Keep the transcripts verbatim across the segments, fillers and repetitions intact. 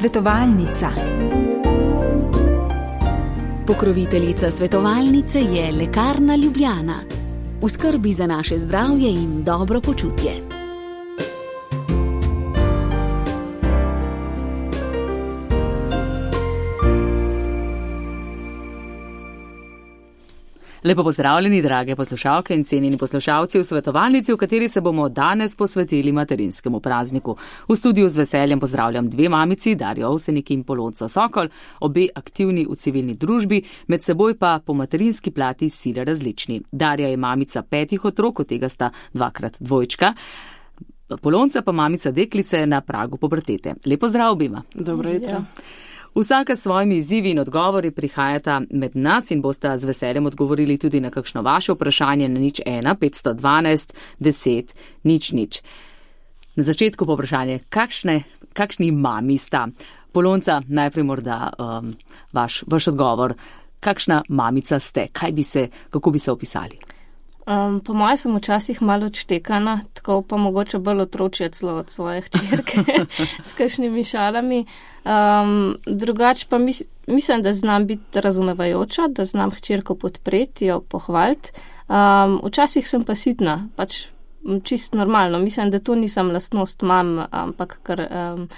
Svetovalnica. Pokroviteljica svetovalnice je Lekarna Ljubljana. V skrbi za naše zdravje in dobro počutje. Lepo pozdravljeni, drage poslušalke in cenjeni poslušalci v svetovalnici, v kateri se bomo danes posvetili materinskemu prazniku. V studiu z veseljem pozdravljam dve mamici, Darjo Ovsenik in Polonco Sokol, obe aktivni v civilni družbi, med seboj pa po materinski plati sile različni. Darja je mamica petih otrok, od tega sta dvakrat dvojčka. Polonca pa mamica deklice na pragu pubertete. Lepo zdrav obima. Dobro jutro. Vsaka s svojimi izzivi in odgovori prihajata med nas in bosta z veseljem odgovorili tudi na kakšno vaše vprašanje na nič ena petsto dvanajst deset nič nič. Na začetku pa vprašanje, kakšne, kakšni mami sta? Polonca, najprej morda um, vaš, vaš odgovor. Kakšna mamica ste? Kaj bi se, kako bi se opisali? Um, po mojem sem včasih malo odštekana, tako pa mogoče bolj otročje celo od svoje hčerke s kakšnimi šalami. Um, drugač pa mis, mislim, da znam biti razumevajoča, da znam hčerko podpreti, jo pohvaliti. Um, včasih sem pa sitna, pač čist normalno. Mislim, da to nisem lastnost mam, ampak kar um,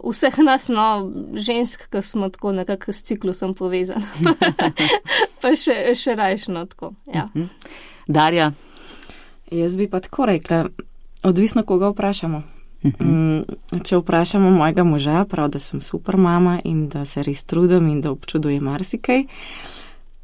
vseh nas, no, žensk, ki smo tako nekako s ciklusom povezani. Pa še, še rajšno tako, ja. Darja? Jaz bi pa tako rekla, odvisno koga vprašamo. Mm, če vprašamo mojega moža, prav, da sem super mama in da se res trudim in da občudujem marsikaj.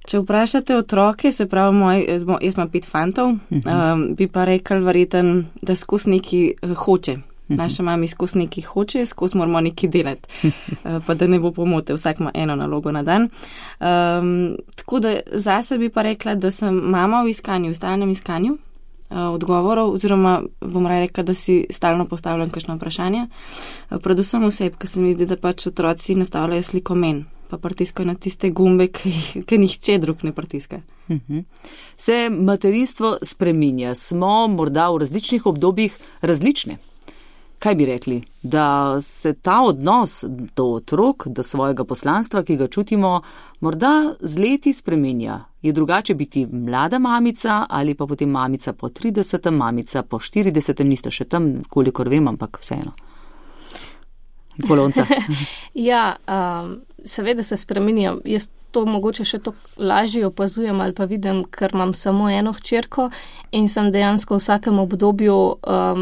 Če vprašate otroke, se pravi, moj, jaz imam pet fantov, um, bi pa rekla verjeten, da skozi neki hoče. Naša mami skozi nekaj hoče, skozi moramo nekaj delati, pa da ne bo pomote, vsak ima eno nalogo na dan. Um, tako da zase bi pa rekla, da sem mama v iskanju, v stalnem iskanju uh, odgovorov, oziroma bom rekla, da si stalno postavljam kakšno vprašanje. Uh, predvsem vseb, ker se mi zdi, da pač otroci nastavljajo sliko men, pa pritiskajo na tiste gumbe, ki nihče drug ne pritiska. Uh-huh. Se materinstvo spreminja, smo morda v različnih obdobjih različne. Kaj bi rekli? Da se ta odnos do otrok, do svojega poslanstva, ki ga čutimo, morda z leti spreminja. Je drugače biti mlada mamica ali pa potem mamica po tridesetem, mamica po štiridesetem, niste še tam, kolikor vem, ampak vseeno. Polonca. Ja, um, seveda se spreminja. Jaz to mogoče še to lažje opazujem ali pa vidim, ker imam samo eno hčerko in sem dejansko v vsakem obdobju um,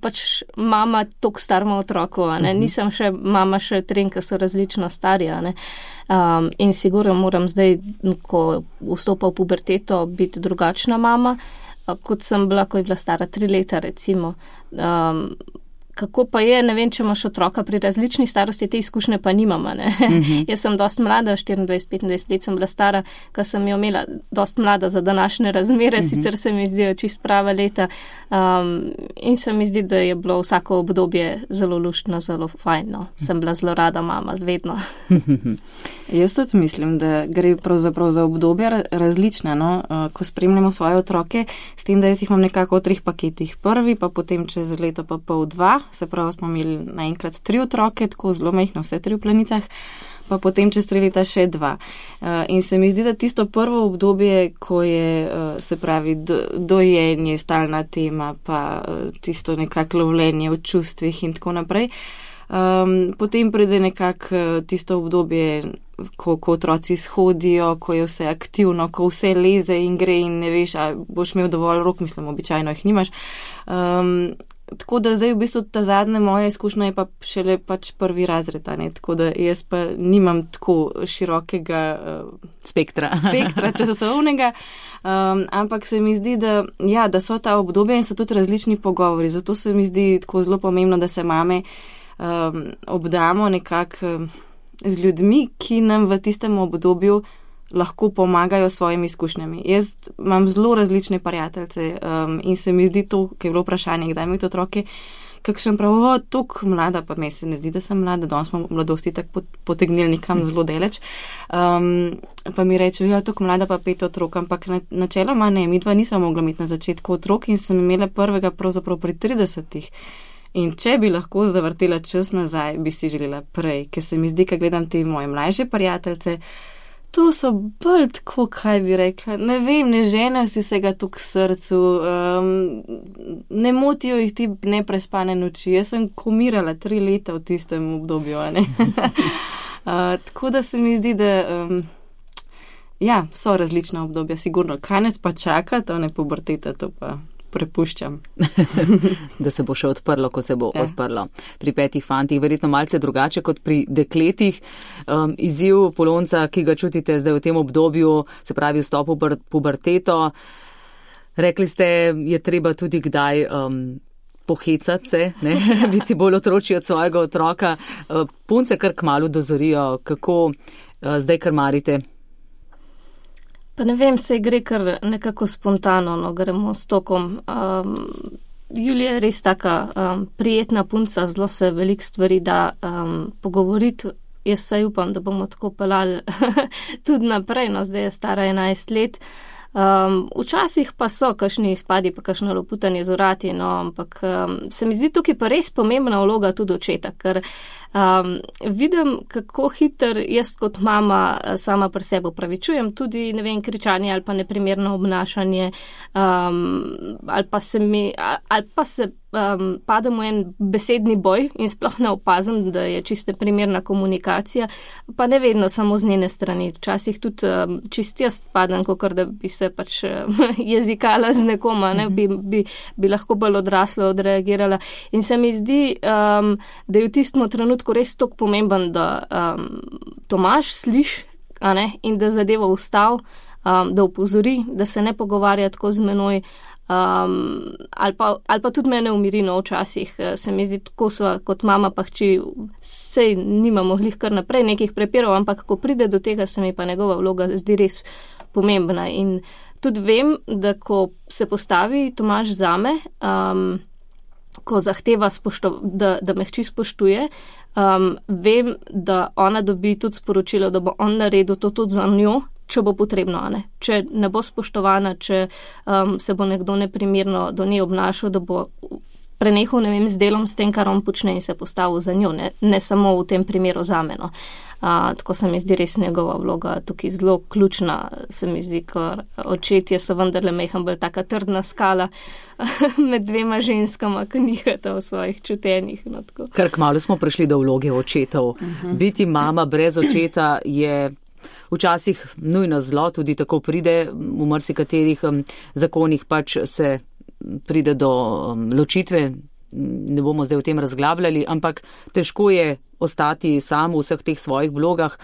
pač mama tok starma otroku, ne? Uh-huh. Nisem še mama še tren, ki so različno starja, ne? Um, in sigurno moram zdaj, ko vstopa v puberteto, biti drugačna mama, kot sem bila, ko je bila stara tri leta, recimo. Um, Kako pa je, ne vem, če imaš otroka pri različnih starosti, te izkušnje pa nimamo, ne. Mm-hmm. Jaz sem dost mlada, štiriindvajset petindvajset let sem bila stara, ko sem jo imela dost mlada za današnje razmere, mm-hmm. sicer se mi zdijo čist prava leta um, in se mi zdi, da je bilo vsako obdobje zelo luštno, zelo fajno. Sem bila zelo rada mama, vedno. Jaz tudi mislim, da gre pravzaprav za obdobje različne, no, ko spremljamo svoje otroke, s tem, da jaz jih imam nekako v treh paketih. Prvi, pa potem čez leto pa pol dva, se pravi, smo imeli naenkrat tri otroke, tako zelo majhne, vse tri v plenicah, pa potem čez tri leta še dva. Uh, in se mi zdi, da tisto prvo obdobje, ko je, uh, se pravi, do, dojenje, stalna tema, pa uh, tisto nekako lovljenje v čustvih in tako naprej, um, potem pride nekako uh, tisto obdobje, ko, ko otroci shodijo, ko je vse aktivno, ko vse leze in gre in ne veš, a boš imel dovolj rok, mislim, običajno jih nimaš. Um, Tako da zdaj v bistvu ta zadnja moja izkušnja je pa šele pač prvi razred, ne? Tako da jaz pa nimam tako širokega uh, spektra, spektra časovnega, um, ampak se mi zdi, da, ja, da so ta obdobja in so tudi različni pogovori, zato se mi zdi tako zelo pomembno, da se mame um, obdamo nekako um, z ljudmi, ki nam v tistem obdobju lahko pomagajo s svojimi izkušnjami. Jaz imam zelo različne prijateljce um, in se mi zdi to, ki je bilo vprašanje, kdaj imate otroke, kakšen prav, o, tok mlada, pa me se ne zdi, da sem mlada, danes smo mladosti tako potegnili nekam zelo deleč. Um, pa mi rečejo, ja, tok mlada, pa pet otrok, ampak na, načeloma ne, mi dva nisva mogla imeti na začetku otrok in sem imela prvega pravzaprav pri tridesetih. In če bi lahko zavrtela čas nazaj, bi si želela prej, ker se mi zdi, ko gledam te moje mlajše prijateljce, to so bolj tako, kaj bi rekla, ne vem, ne ženejo si se ga tu k srcu, um, ne motijo jih ti neprespane noči. Jaz sem komirala tri leta v tistem obdobju, a ne? uh, tako da se mi zdi, da um, ja, so različna obdobja, sigurno. Kaj nas pa čaka, to ne puberteta, to pa prepuščam. Da se bo še odprlo, ko se bo ja. odprlo. Pri petih fantih verjetno malce drugače kot pri dekletih. Um, izziv Polonca, ki ga čutite zdaj v tem obdobju, se pravi vstop v puberteto. Rekli ste, je treba tudi kdaj um, pohecati se, ne? Biti bolj otročji od svojega otroka. Uh, punce kar kmalu dozorijo, kako uh, zdaj krmarite. Pa ne vem, se gre kar nekako spontano, no, gremo s tokom. Um, Julija je res taka um, prijetna punca, zelo se veliko stvari da um, pogovoriti. Jaz se upam, da bomo tako pelali tudi naprej, no, zdaj je stara enajst let. Um, včasih pa so kakšni izpadi, pa kakšno loputanje z vrati, no, ampak um, se mi zdi tukaj pa res pomembna vloga tudi očeta, ker um, vidim, kako hiter jaz kot mama sama pri sebi opravičujem tudi, ne vem, kričanje ali pa neprimerno obnašanje, um, ali pa se mi, ali pa se um, padem v en besedni boj in sploh ne opazim, da je čiste primerna komunikacija, pa ne vedno samo z njene strani. Včasih tudi um, čist jaz padem, kakor da bi se pač um, jezikala z nekoma, ne, bi, bi, bi lahko bolj odraslo odreagirala. In se mi zdi, um, da je v tistem trenutku res toliko pomemben, da um, Tomaž sliši, a ne, in da zadevo ustav, um, da upozori, da se ne pogovarja tako z menoj, Um, ali, pa, ali pa tudi mene umiri, no, včasih se mi zdi, tako sva kot mama pa hči, sej nimamo glih kar naprej nekih prepirov, ampak ko pride do tega, se mi pa njegova vloga zdi res pomembna. In tudi vem, da ko se postavi Tomaž zame, um, ko zahteva, spošto, da, da me hči spoštuje, um, vem, da ona dobi tudi sporočilo, da bo on naredil to tudi za njo, če bo potrebno, ne. Če ne bo spoštovana, če um, se bo nekdo neprimerno do nje obnašal, da bo prenehal, ne vem, z delom, s tem, kar on počne in se postavil za njo, ne, ne samo v tem primeru zame, no. Uh, tako se mi zdi res njegova vloga tukaj zelo ključna, se mi zdi, ker očetje so vendarle mehen bolj taka trdna skala med dvema ženskama, ki nihata v svojih čutenjih. No, tako. Kar kmalu smo prišli do vloge očetov. Uh-huh. Biti mama brez očeta je včasih nujno zlo, tudi tako pride, v marsikaterih um, zakonih pač se pride do um, ločitve, ne bomo zdaj o tem razglabljali, ampak težko je ostati sam v vseh teh svojih vlogah.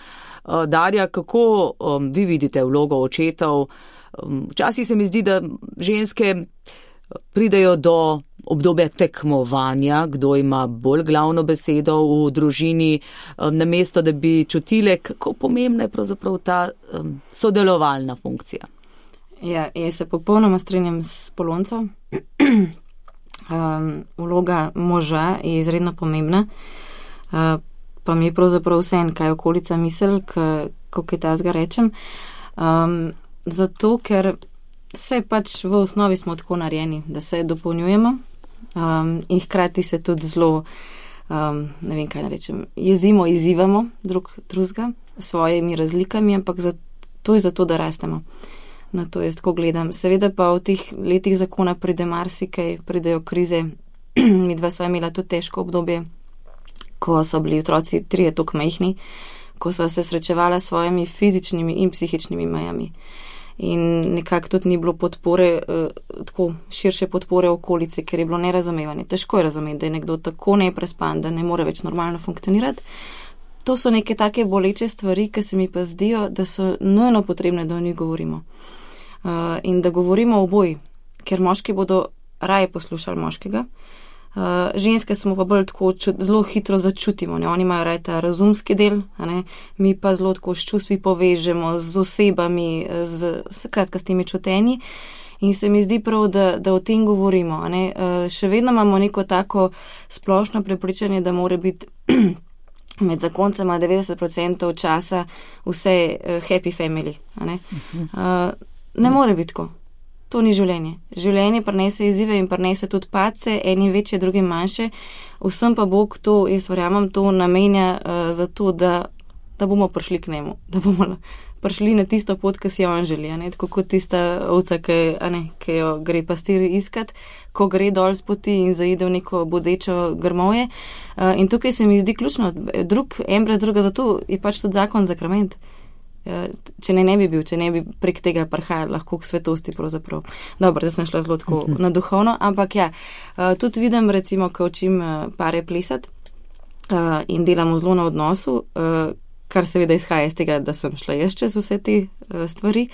Uh, Darja, kako um, vi vidite vlogo očetov? Um, včasih se mi zdi, da ženske pridejo do obdobja tekmovanja, kdo ima bolj glavno besedo v družini, um, namesto da bi čutile, kako pomembna je pravzaprav ta um, sodelovalna funkcija. Ja, jaz se popolnoma strinjam s Poloncem. um, vloga moža je izredno pomembna, uh, pa mi je pravzaprav vseeno, kaj okolica misel, kako je tazga rečem. Um, zato, ker se pač v osnovi smo tako narejeni, da se dopolnjujemo um, in hkrati se tudi zelo, um, ne vem kaj narečem, jezimo, izzivamo drug drugega s svojimi razlikami, ampak za, to je zato, da rastemo. Na to jaz tako gledam. Seveda pa v teh letih zakona pride marsikaj, pridejo krize. Mi dva sva imela tudi težko obdobje, ko so bili otroci trije toliko majhni, ko sva se srečevala s svojimi fizičnimi in psihičnimi mejami. In nekako tudi ni bilo podpore, eh, tako širše podpore okolice, ker je bilo nerazumevanje. Težko je razumeti, da je nekdo tako neprespan, da ne more več normalno funkcionirati. To so neke take boleče stvari, ki se mi pa zdijo, da so nujno potrebne, da o njih govorimo. Uh, in da govorimo oboji, ker moški bodo raje poslušali moškega. Uh, ženske smo pa bolj tako čut, zelo hitro začutimo, ne? Oni imajo raje ta razumski del, a ne? Mi pa zelo tako s čustvi povežemo, z osebami, z, skratka s temi čutenji. In se mi zdi prav, da, da o tem govorimo. A ne? Uh, še vedno imamo neko tako splošno prepričanje, da mora biti med zakoncema devetdeset procentov časa vse uh, happy family. A ne? Uh, ne more biti tako. to ni življenje. Življenje prinese izzive in prinese tudi padce, eni večje, drugi manjše. Vsem pa Bog to, jaz verjamem, to namenja uh, za to, da, da bomo prišli k njemu, da bomo prišli na tisto pot, ki si jo on želi, ne? Tako kot tista ovca, ki, a ne, ki jo gre pastir iskat, ko gre dol z poti in zaide v neko bodečo grmovje. Uh, in tukaj se mi zdi ključno, drug, en brez druga, zato je pač tudi zakon zakrament. Če ne, ne bi bil, če ne bi prek tega prihajali lahko k svetosti pravzaprav. Dobro, zdaj sem šla zelo tako na duhovno, ampak ja, tudi vidim recimo, ko učim pare plesati in delamo zelo na odnosu, kar seveda izhaja iz tega, da sem šla jaz čez vse te stvari,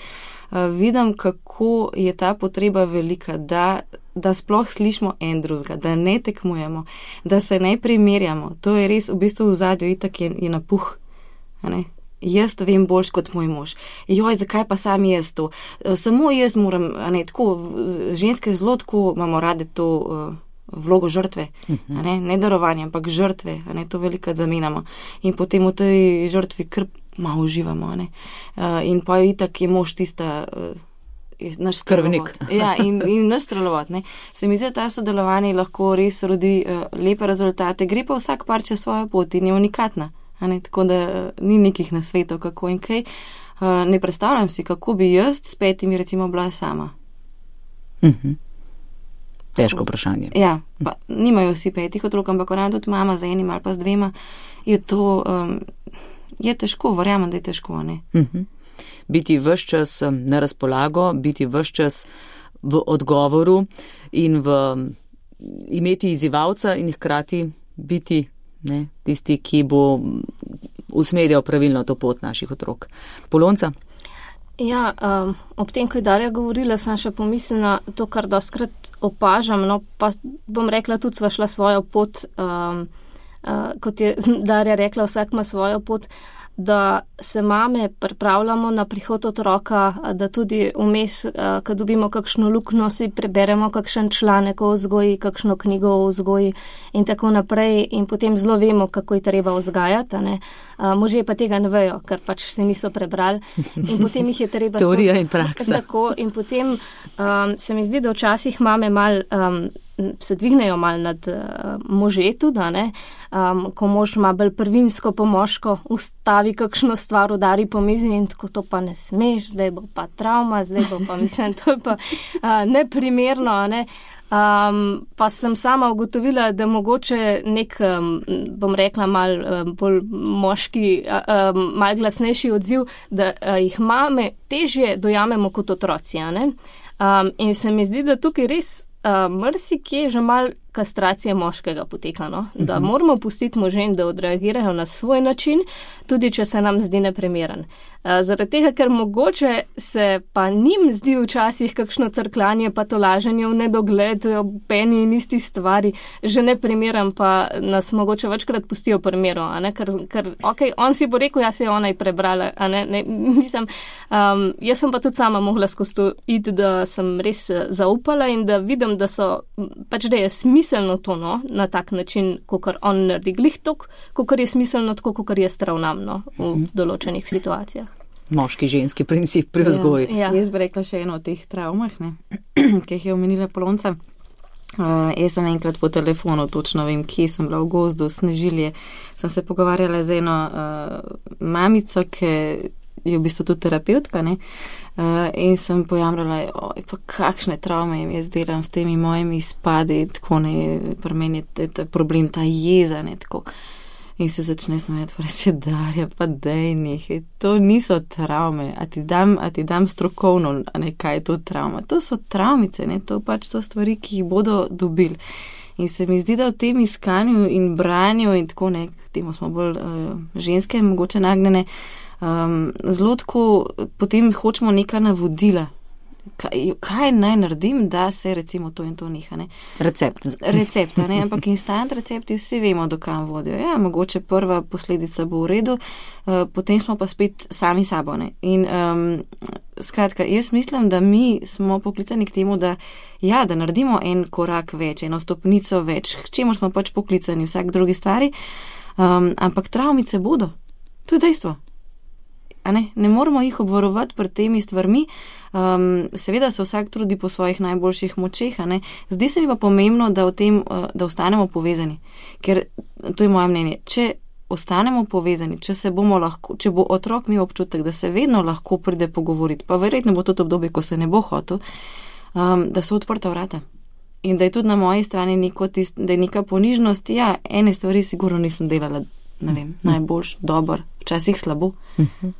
vidim, kako je ta potreba velika, da, da sploh slišimo en drugega, da ne tekmujemo, da se ne primerjamo. To je res v bistvu v zadju itak je, je napuh, a ne? Jaz vem boljš kot moj mož. Joj, zakaj pa sam jaz to? Samo jaz moram, a ne, tako, ženske zelo tako imamo rade to uh, vlogo žrtve, a ne, ne darovanje, ampak žrtve, a ne, to velikrat zamenjamo. In potem v tej žrtvi kar malo uživamo, a ne. Uh, in pa itak je mož tista, uh, naš krvnik. Ja, in, in naš strelovod, ne. Se mi zdi, ta sodelovanje lahko res rodi uh, lepe rezultate, gre pa vsak par čez svojo pot in je unikatna. Ne, tako da ni nekih nasvetov, kako in kaj. Uh, ne predstavljam si, kako bi jaz s petimi recimo bila sama. Uh-huh. Težko vprašanje. Ja, pa nimajo vsi petih otrok, ampak ona tudi mama z enim ali pa z dvema, je to, um, je težko, verjamem, da je težko, ne. Uh-huh. Biti vse čas na razpolago, biti vse čas v odgovoru in v imeti izzivalca in hkrati biti ne, tisti, ki bo usmerjal pravilno to pot naših otrok. Polonca? Ja, um, ob tem, ko je Darja govorila, sem še pomislila to, kar doskrat opažam, no pa bom rekla, tudi sva šla svojo pot, um, uh, kot je Darja rekla, vsak ima svojo pot, da se mame pripravljamo na prihod otroka, da tudi vmes, ko dobimo kakšno luknjo, si preberemo kakšen članek o vzgoji, kakšno knjigo o vzgoji in tako naprej in potem zelo vemo, kako je treba vzgajati. Ne? Možje pa tega ne vejo, ker pač se niso prebrali in potem jih je treba... Teorija in praksa. Tako, in potem um, se mi zdi, da včasih mame mal... Um, se dvignejo malo nad uh, može tudi, ne, um, ko mož ima bolj prvinsko pomožko, ustavi kakšno stvar, udari po mizi in tako to pa ne smeš, zdaj bo pa travma, zdaj bo pa, mislim, to je pa uh, neprimerno, ne. Um, pa sem sama ugotovila, da mogoče nek, um, bom rekla, mal um, bolj moški, um, mal glasnejši odziv, da uh, jih mame težje dojamemo kot otroci, ne. Um, in se mi zdi, da tukaj res Uh, mrsikje že mal kastracije moškega poteka, no? Da uh-huh. moramo pustiti možem, da odreagirajo na svoj način, tudi če se nam zdi neprimeren. Uh, zaradi tega, ker mogoče se pa njim zdi včasih kakšno crkljanje, pa to laženje v nedogled, ob eni in isti stvari, že neprimeren, pa nas mogoče večkrat pustijo primeru, a ne, ker, ker ok, on si bo rekel, jaz se je ona prebrala, a ne, ne, mislim, um, jaz sem pa tudi sama mogla skozi to iti, da sem res zaupala in da vidim, da so, pač da je smiselno to, no, na tak način, kakor on naredi glih tok, kakor je smiselno tako, kakor jaz ravnam, no, v določenih situacijah. Moški ženski princip pri vzgoji. Ja, ja. Jaz bi rekla še eno od teh travmah, ne, ki jih je omenila Polonca. Uh, jaz sem enkrat po telefonu, točno vem, kje sem bila v gozdu, Snežilje, sem se pogovarjala z eno uh, mamico, ki je v bistvu tudi terapeutka, ne, uh, in sem pojamrala, oj, pa kakšne travme jim jaz delam s temi mojimi izpadi, tako ne, pri meni je ta problem, ta jeza, ne, tako. In se začne smejati, pa reče, Darja, pa dej nekaj, to niso travme, a ti dam, a ti dam strokovno, a ne, kaj je to travma. To so travmice, ne, to pač so stvari, ki jih bodo dobili. In se mi zdi, da v tem iskanju in branju in tako, ne, k temu smo bolj uh, ženske, mogoče nagnjene, um, zelo tako, potem hočemo neka navodila. Kaj, kaj naj naredim, da se recimo to in to neha, ne? Recept. Recept, ne? Ampak instant recepti vsi vemo, do kam vodijo. Ja, mogoče prva posledica bo v redu, uh, potem smo pa spet sami sabo, ne? In um, skratka, jaz mislim, da mi smo poklicani k temu, da ja, da naredimo en korak več, eno stopnico več, k čemu smo pač poklicani vsak drugi stvari, um, ampak travmice bodo. To je dejstvo. a ne, ne moramo jih obvarovati pred temi stvarmi, um, seveda se vsak trudi po svojih najboljših močeh, a ne, zdi se mi pa pomembno, da v tem, da ostanemo povezani, ker to je moje mnenje, če ostanemo povezani, če se bomo lahko, če bo otrok imel občutek, da se vedno lahko pride pogovoriti, pa verjetno bo to obdobje, ko se ne bo hotel, um, da so odprta vrata. In da je tudi na moji strani neko tist, da je neka ponižnost, ja, ene stvari sigurno nisem delala, ne vem, najboljš, dober, včasih slabo. Uh-huh.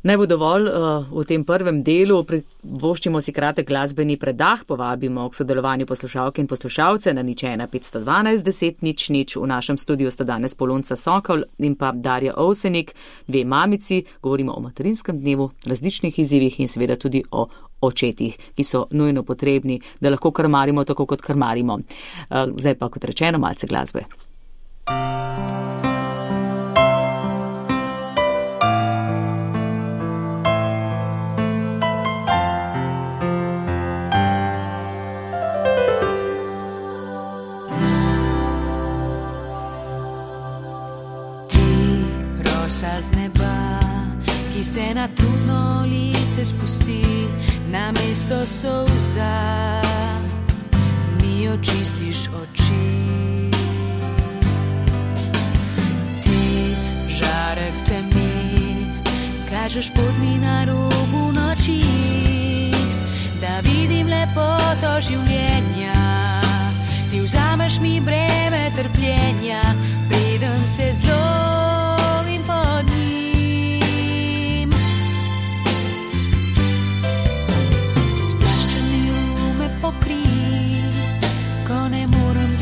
Naj bo dovolj uh, v tem prvem delu, privoščimo si kratek glasbeni predah, povabimo k sodelovanju poslušalke in poslušalce na nič ena petsto dvanajst deset nič nič. V našem studiu sta danes Polonca Sokol in pa Darja Ovsenik, dve mamici, govorimo o materinskem dnevu, različnih izzivih in seveda tudi o očetih, ki so nujno potrebni, da lahko krmarimo tako, kot krmarimo. Uh, zdaj pa, kot rečeno, malce glasbe. Z neba, ki se na trudno lice spusti, na mesto solza mi očistiš oči. Ti žarek temi, kažeš pot mi na robu noči, da vidim lepoto življenja. Ti vzameš mi breme trpljenja, preden se zlo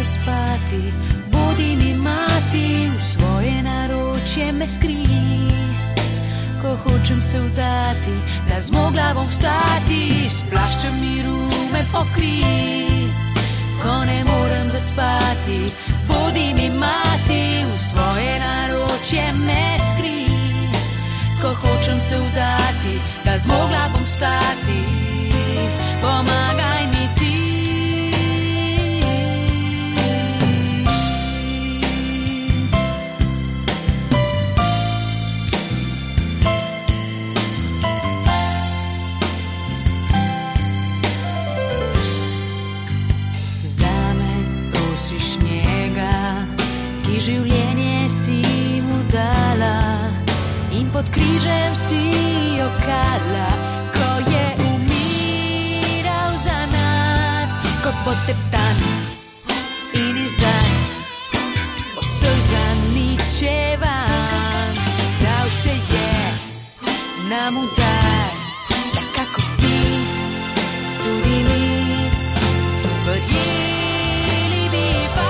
spati, bodi mi mati, v svoje naročje me skrij. Ko hočem se vdati, da zmogla bom vstati, s plaščem miru me pokrij. Ko ne morem zaspati, bodi mi mati, v svoje naročje me skrij. Ko hočem se vdati, da zmogla bom vstati, pomagaj mi ti. Življenje si mu dala in pod križem si jokala, ko je umiral za nas, ko poteptan in izdan, od solza ničevan, dal se je nam udaj, da kako ti, tudi mi, verjeli bi pa.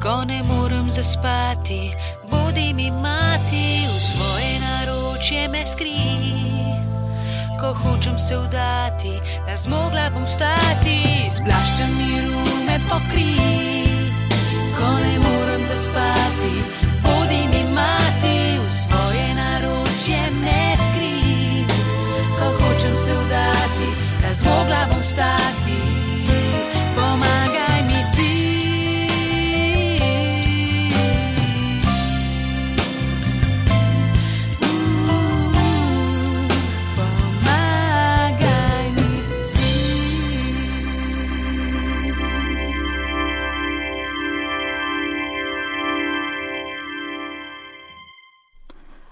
Ko ne morem zaspati, bodi mi mati, v svoje naročje me skrij. Ko hočem se vdati, da zmogla bom vstati, s plaščem miru me pokrij. Ko ne morem zaspati, bodi mi mati, v svoje naročje me skrij. Ko hočem se vdati, da zmogla bom vstati, pomagaj mi ti.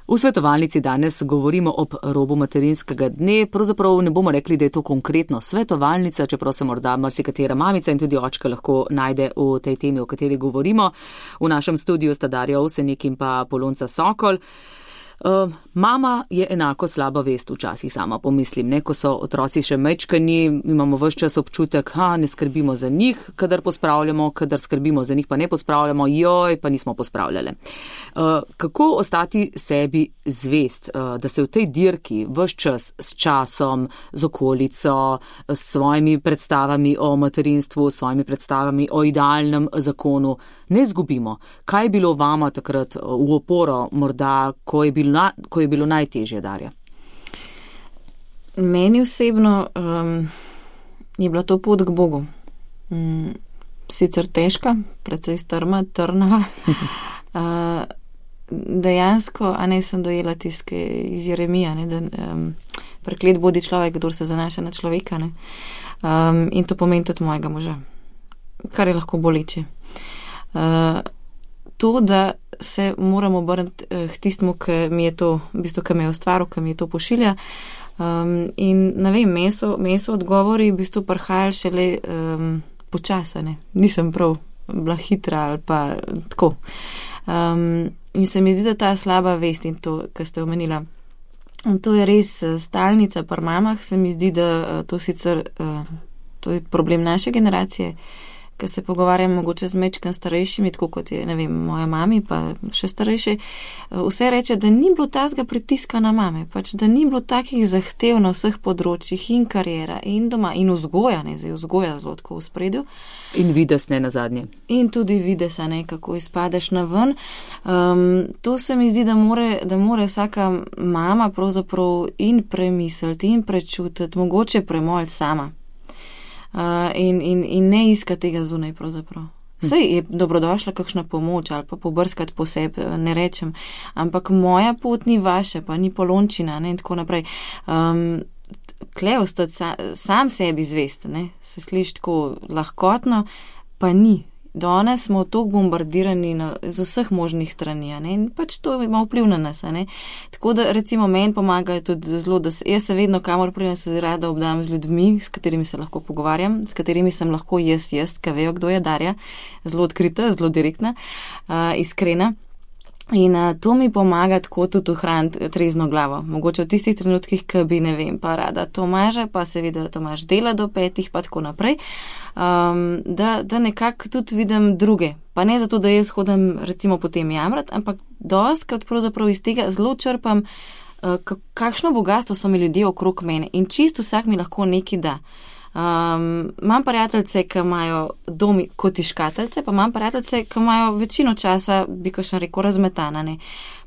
V svetovalnici danes govorimo ob robu materinskega dne, pravzaprav ne bomo rekli, da je to konkretno svetovalnica, čeprav se morda marsikatera mamica in tudi očka lahko najde v tej temi, o kateri govorimo. V našem studiu sta Darja Ovsenik in pa Polonca Sokol. Uh, mama je enako slaba vest včasih, sama pomislim, ne, ko so otroci še mečkani, imamo ves čas občutek, ha, ne skrbimo za njih, kadar pospravljamo, kadar skrbimo za njih, pa ne pospravljamo, joj, pa nismo pospravljale. Uh, kako ostati sebi zvest, uh, da se v tej dirki ves čas s časom, z okolico, s svojimi predstavami o materinstvu, s svojimi predstavami o idealnem zakonu ne izgubimo? Kaj je bilo vama takrat v oporo, morda, ko je bilo Na, ko je bilo najtežje, Darja? Meni osebno um, je bila to pot k Bogu. mm, sicer težka, precej strma, trna. uh, dejansko, a ne sem dojela tiske iz Jeremija, ne, da um, preklet bodi človek, kdor se zanaša na človeka. Ne. Um, in to pomeni tudi mojega moža, kar je lahko boleče. Uh, to, da se moramo obrniti uh, k tistmu, ki mi je to, v bistvu, ki me je ustvaril, ki mi je to pošilja. Um, in ne vem, meso, meso odgovori v bistvu prihajali šele um, počasane. Nisem prav bila hitra ali pa tako. Um, in se mi zdi, da ta slaba vest in to, kar ste omenila, to je res stalnica pri mamah. Se mi zdi, da to sicer uh, to je problem naše generacije, ker se pogovarjam mogoče z mečkim starejšimi, tako kot je, ne vem, moja mami, pa še starejše, vse reče, da ni bilo tazga pritiska na mame, pač da ni bilo takih zahtev na vseh področjih in karijera in doma in vzgoja, ne, zdaj vzgoja zelo tako v spredju. In vides ne na zadnje. In tudi vides, ne, kako izpadeš na ven. Um, to se mi zdi, da more, da more vsaka mama pravzaprav in premisliti in prečutiti, mogoče premoliti sama. Uh, in, in, in ne iskati tega zunaj pravzaprav. Saj je dobrodošla kakšna pomoč ali pa pobrskati po sebi, ne rečem, ampak moja pot ni vaša, pa ni polončina, ne, in tako naprej. Um, Kle ostati sa, sam sebi zvest, ne, se sliši tako lahkotno, pa ni. Danes smo toliko bombardirani na, z vseh možnih strani, ne, in pač to ima vpliv na nas, ne. Tako da recimo meni pomagajo tudi zelo, da se, jaz se vedno kamor pridem, se rada obdam z ljudmi, s katerimi se lahko pogovarjam, s katerimi sem lahko jaz, jaz, ka vejo, kdo je Darja, zelo odkrita, zelo direktna, uh, iskrena. In uh, to mi pomaga tako tudi ohraniti trezno glavo. Mogoče v tistih trenutkih, ki bi, ne vem, pa rada Tomaža, pa seveda Tomaž dela do petih, pa tako naprej, um, da, da nekako tudi vidim druge. Pa ne zato, da jaz hodim recimo potem jamrat, ampak dostkrat pravzaprav iz tega zelo črpam, uh, kakšno bogatstvo so mi ljudje okrog mene in čisto vsak mi lahko nekaj da. Um, imam prijateljce, ki imajo domi kot škateljce, pa imam prijateljce, ki imajo večino časa, bi kakšno rekel, razmetana. Ne.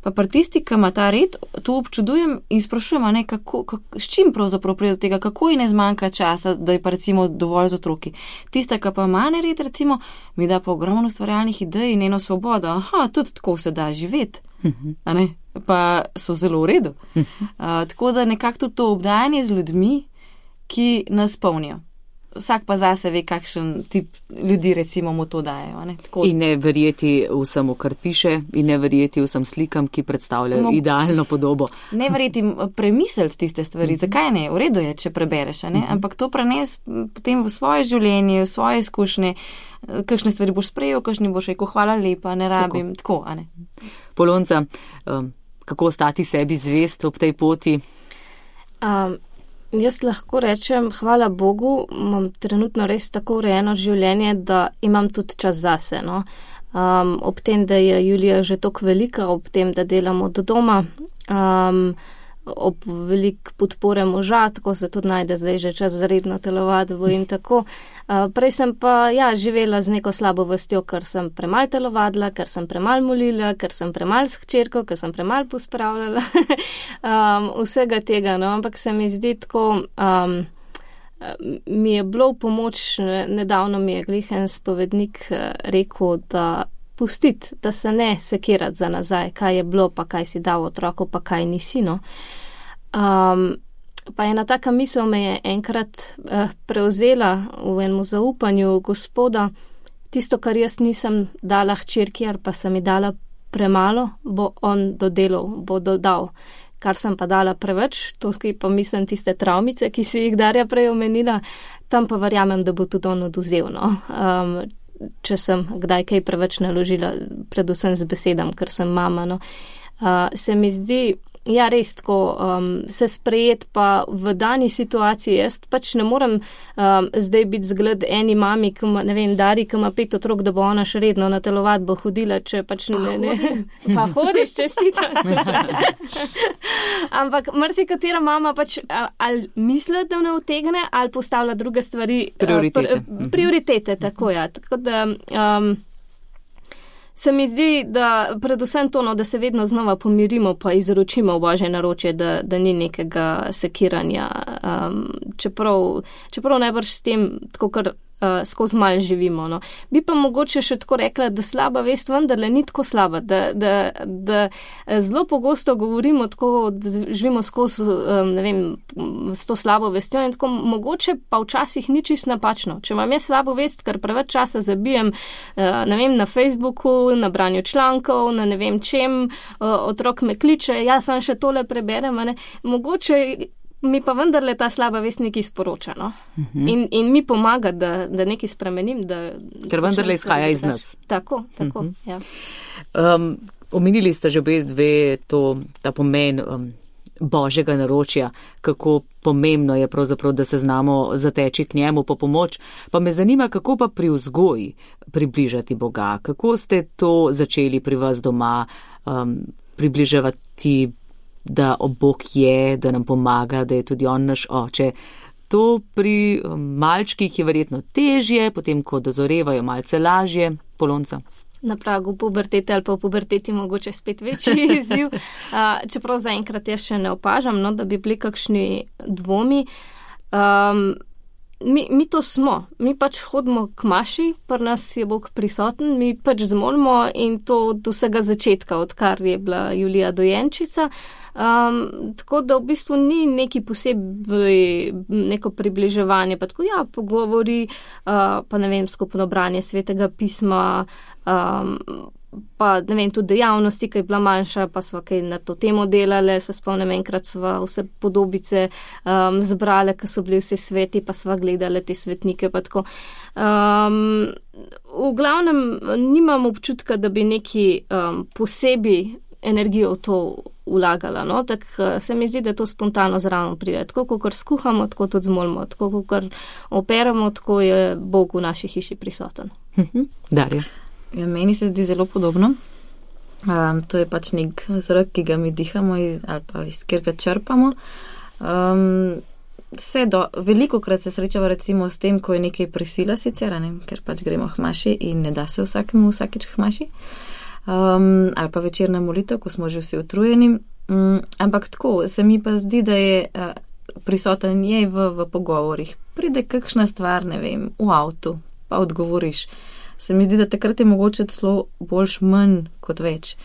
Pa pri tisti, ki ima ta red, to občudujem in sprašujem, ne, kako, kako, s čim pravzaprav pride do tega, kako ji ne zmanjka časa, da je pa recimo dovolj z otroki. Tista, ki pa ima red, recimo, mi da pa ogromno ustvarjalnih idej in eno svobodo. Aha, tudi tako se da živeti. A ne? Pa so zelo v redu. Uh, tako da nekako tudi to obdajanje z ljudmi, ki nas polnijo. Vsak pa zase ve, kakšen tip ljudi recimo mu to dajo. Ne? Tako... In ne verjeti vsemu, kar piše, in ne verjeti vsem slikam, ki predstavljajo no, idealno podobo. Ne verjeti premisliti tiste stvari. Uh-huh. Zakaj ne? V redu je, če prebereš, ne? Uh-huh. Ampak to prenes potem v svoje življenje, v svoje izkušnje, kakšne stvari boš sprejel, kakšne boš rekel, hvala lepa, ne rabim, tako, tako a ne. Polonca, um, kako ostati sebi zvest ob tej poti? Um, Jaz lahko rečem, hvala Bogu, imam trenutno res tako urejeno življenje, da imam tudi čas zase. No? Um, ob tem, da je Julija že toliko velika, ob tem, da delamo do doma, um, ob velik podpore moža, tako se tudi najde zdaj že čas za redno telovadbo in tako. Uh, prej sem pa ja, živela z neko slabo vestjo, ker sem premal telovadila, ker sem premal molila, ker sem premal s hčerko, ker sem premal pospravljala. um, vsega tega, no, ampak se mi zdi tako, um, mi je bilo v pomoč, nedavno mi je glih en spovednik rekel, da pustiti, da se ne sekirati za nazaj, kaj je bilo, pa kaj si dal otroku, pa kaj nisi, no. Um, pa ena taka misel me je enkrat uh, prevzela v enem zaupanju Gospoda, tisto, kar jaz nisem dala hčerki, ali pa sem mi dala premalo, bo on dodelal, bo dodal. Kar sem pa dala preveč, tukaj pa mislim tiste travmice, ki si jih Darja prej omenila, tam pa verjamem, da bo tudi on oduzel, no. Um, če sem kdaj kaj preveč naložila, predvsem z besedam, ker sem mama, no. Uh, se mi zdi, ja, res tako, um, se sprejet pa v dani situaciji, jaz pač ne morem um, zdaj biti zgled eni mami, ki ima, ne vem, Dari, ki ima pet otrok, da bo ona še redno na telovadbo hodila, če pač ne, ne, pa hodiš, čestitam se. Ampak marsikatera mama pač ali misli, da ne utegne, ali postavlja druge stvari. Prioritete. Uh, pr, prioritete, tako ja. Tako da... Um, Se mi zdi, da predvsem to, no, da se vedno znova pomirimo pa izročimo v Božje naročje, da, da ni nekega sekiranja. Um, čeprav, čeprav najbrž s tem, tako kar uh, skozi malo živimo. No. Bi pa mogoče še tako rekla, da slaba vest vendarle ni tako slaba, da, da, da zelo pogosto govorimo tako, da živimo skozi, um, ne vem, s to slabo vestjo in tako mogoče pa včasih ni čist napačno. Če imam jaz slabo vest, ker preveč časa zabijem, uh, ne vem, na Facebooku, na branju člankov, na ne vem čem, uh, otrok me kliče, jaz sem še tole preberem, a ne, mogoče mi pa vendarle ta slaba vest nekaj sporoča, no? Uh-huh. In, in mi pomaga, da, da nekaj spremenim. Da, ker vendarle izhaja iz nas. Tako, tako, uh-huh. ja. Um, omenili ste že obe dve to, ta pomen um, božjega naročja, kako pomembno je pravzaprav, da se znamo zateči k njemu po pomoč. Pa me zanima, kako pa pri vzgoji približati Boga? Kako ste to začeli pri vas doma um, približevati, da Bog je, da nam pomaga, da je tudi on naš oče? To pri malčkih je verjetno težje, potem ko dozorevajo malce lažje. Polonca. Na pragu pubertete ali pa v puberteti mogoče spet večji izziv. Čeprav zaenkrat jaz še ne opažam, no, da bi bili kakšni dvomi. Um, mi, mi to smo. Mi pač hodimo k maši, pri nas je Bog prisoten, mi pač zmolimo in to od vsega začetka, odkar je bila Julija dojenčica. Um, tako da v bistvu ni neki posebej neko približevanje, pa tako ja, pogovori, uh, pa ne vem, skupno branje Svetega pisma, um, pa ne vem, tudi dejavnosti, ki je bila manjša, pa sva kaj na to temo delale, se spomnim, enkrat sva vse podobice um, zbrale, ki so bili vsi sveti, pa sva gledale te svetnike, pa tako. Um, v glavnem nimam občutka, da bi neki um, posebej energijo v to vlagala, no, tako se mi zdi, da to spontano zraven pride. Tako, kot skuhamo, tako tudi zmolimo, tako, kot operamo, tako je Bog v naši hiši prisoten. Darja. Ja, meni se zdi zelo podobno. Um, to je pač nek zrak, ki ga mi dihamo iz, ali pa iz kjer ga črpamo. Um, se do, veliko krat se srečava recimo s tem, ko je nekaj prisila sicer, ne, ker pač gremo k maši in ne da se vsakemu vsakeč k maši. Um, ali pa večerna molitev, ko smo že vsi utrujeni. Um, ampak tako, se mi pa zdi, da je uh, prisoten je v, v pogovorih. Pride kakšna stvar, ne vem, v avtu, pa odgovoriš. Se mi zdi, da takrat je mogoče celo boljš manj kot več.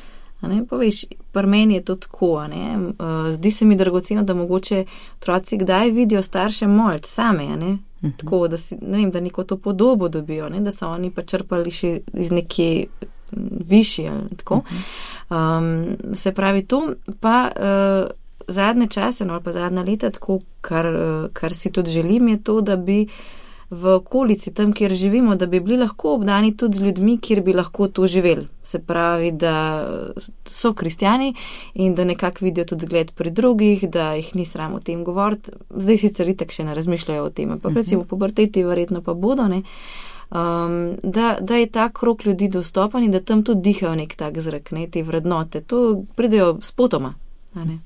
A ne, poveš, pri meni je to tako, a ne. Uh, zdi se mi dragoceno, da mogoče otroci kdaj vidijo starše molt same, a ne. Uh-huh. Tako, da si, ne vem, da neko to podobo dobijo, ne, da so oni pa črpali še iz neke višji ali tako. Um, se pravi to, pa uh, zadnje čase, no, ali pa zadnja leta, tako, kar, uh, kar si tudi želim, je to, da bi v okolici, tam, kjer živimo, da bi bili lahko obdani tudi z ljudmi, kjer bi lahko to živeli. Se pravi, da so kristjani in da nekako vidijo tudi zgled pri drugih, da jih ni sram o tem govoriti. Zdaj sicer itak še ne razmišljajo o tem, ampak recimo puberteti verjetno pa bodo, ne. Um, da, da je ta krog ljudi dostopen in da tam tudi dihajo nek tak zrak, ne, te vrednote. To pridejo spotoma. Ne?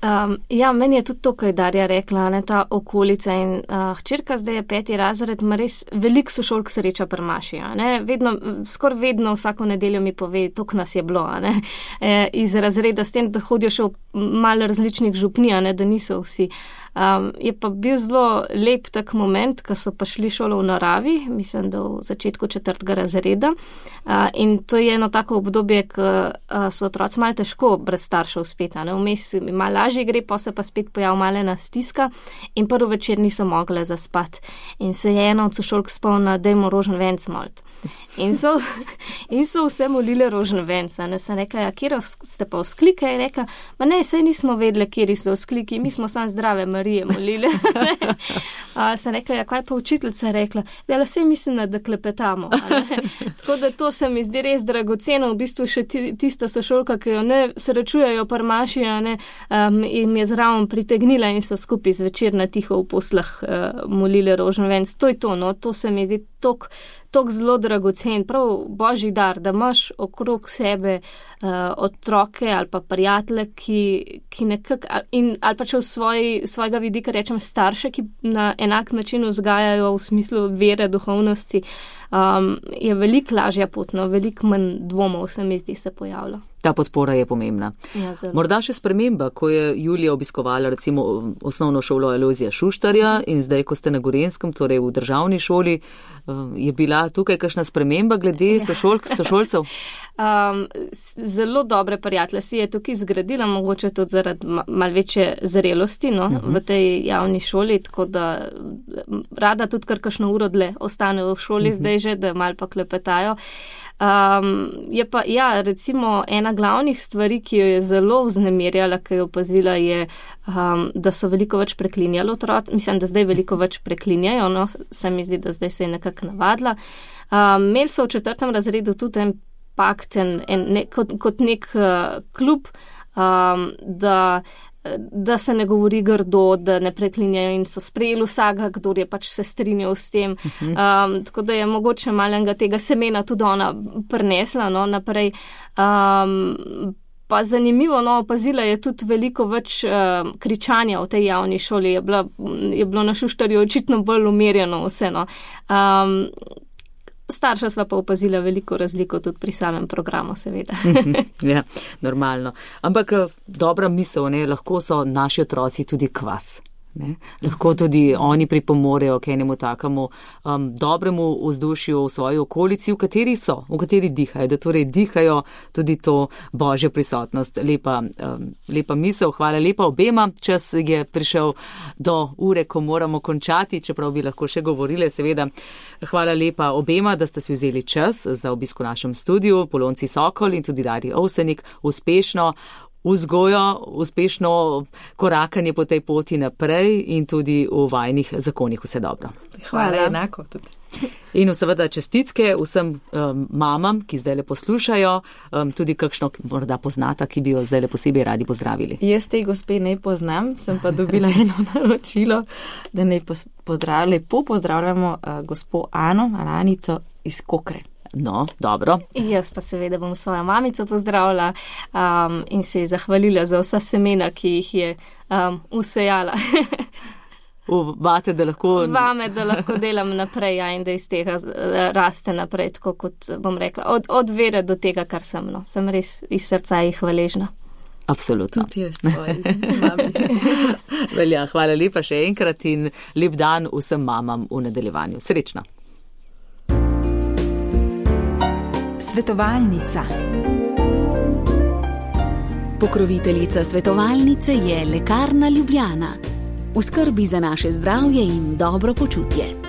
Um, ja, meni je tudi to, kaj je Darja rekla, ne, ta okolica in uh, hčerka zdaj je peti razred, ima res veliko sošolk sreča pri maši, ne, vedno, skor vedno vsako nedeljo mi pove, toliko nas je bilo, ne, e, iz razreda, s tem, da hodijo še v malo različnih župni, ne, da niso vsi. Um, je pa bil zelo lep tak moment, ko so pa šli šolo v naravi, mislim, da v začetku četrtega razreda. Uh, in to je eno tako obdobje, ko uh, so otroci malo težko brez staršev spet, ne, vmes malo lažje gre, pa se pa spet pojav malena stiska in prvi večer niso mogle zaspati. In se je ena od sošolk spomnila, dajmo rožen venc molt. In so, in so vse molile rožen venc. Ne, sem rekla, ja, kjer ste pa vzklike? Je rekla, ma ne, saj nismo vedeli, kjer so vzkliki, mi smo sam zdrave Marije molile. A, sem rekla, ja, kaj pa učiteljica rekla? Ja, saj mislim, da klepetamo. Tako da to se mi zdi res dragoceno, v bistvu še tista sošolka, ki jo ne srečujejo par maši, ne, um, in je zraven pritegnila in so skupaj zvečer na tiho v poslah uh, molile rožen venc. To je to, no, to se mi zdi tok tako zelo dragocen, prav božji dar, da imaš okrog sebe uh, otroke ali pa prijatelje, ki, ki nekako, in, ali pa če v svoj, svojega vidika rečem starše, ki na enak način vzgajajo v smislu vere, duhovnosti, um, je veliko lažja pot, no, veliko manj dvomov se mi zdi se pojavlja. Ta podpora je pomembna. Ja, morda še sprememba, ko je Julija obiskovala recimo osnovno šolo Alojzija Šuštarja in zdaj, ko ste na Gorenjskem, torej v državni šoli, je bila tukaj kakšna sprememba glede sošolk, sošolcev? Um, zelo dobre prijatelje si je tukaj zgradila, mogoče tudi zaradi mal večje zrelosti, no, uh-huh. v tej javni šoli, tako da rada tudi kar kakšno uro dlje ostane v šoli uh-huh. zdaj že, da mal pa klepetajo. Um, je pa, ja, recimo ena glavnih stvari, ki jo je zelo vznemirjala, ki jo opazila, je, um, da so veliko več preklinjali otroci. Mislim, da zdaj veliko več preklinjajo, no, se mi zdi, da zdaj se je nekako navadila. Um, imeli so v četrtem razredu tudi en pakt, en, en, ne, kot, kot nek uh, klub, um, da da se ne govori grdo, da ne preklinjajo in so sprejeli vsega, kdor je pač se strinjal s tem. Um, tako da je mogoče malenga tega semena tudi ona prinesla, no, naprej. Um, pa zanimivo, no, opazila je tudi veliko več uh, kričanja v tej javni šoli. Je, bila, je bilo na Šuštarju očitno bolj umirjeno vse, no. Um, Starša sva pa opazila veliko razliko tudi pri samem programu, seveda. Ja, normalno. Ampak dobra misel, ne, lahko so naši otroci tudi kvas. Ne? Lahko tudi oni pripomorejo k enemu takemu um, dobremu vzdušju v svoji okolici, v kateri so, v kateri dihajo, da torej dihajo tudi to božjo prisotnost. Lepa, um, lepa misel, hvala lepa obema. Čas je prišel do ure, ko moramo končati, čeprav bi lahko še govorili, seveda. Hvala lepa obema, da ste si vzeli čas za obisk v našem studiu, Polonci Sokol in tudi Darji Ovsenik. Uspešno vzgojo, uspešno korakanje po tej poti naprej in tudi v vajnih zakonih vse dobro. Hvala, enako tudi. In seveda čestitke vsem um, mamam, ki zdaj le poslušajo, um, tudi kakšno morda poznata, ki bi jo zdaj le posebej radi pozdravili. Jaz tej gospe ne poznam, sem pa dobila eno naročilo, da ne pozdravljamo, lepo pozdravljamo uh, gospo Ano, Alanico iz Kokre. No, dobro. Jaz pa seveda bom svojo mamico pozdravila um, in se ji zahvalila za vsa semena, ki jih je um, usejala. Vate, da lahko... Vame, da lahko delam naprej, ja, in da iz tega raste naprej, tako kot bom rekla, od, od vere do tega, kar sem, no. Sem res iz srca jih hvaležna. Absolutno. Tudi jaz tvoji mami. Velja, hvala lepa še enkrat in lep dan vsem mamam v nadaljevanju. Srečno. Svetovalnica. Pokroviteljica svetovalnice je Lekarna Ljubljana. V skrbi za naše zdravje in dobro počutje.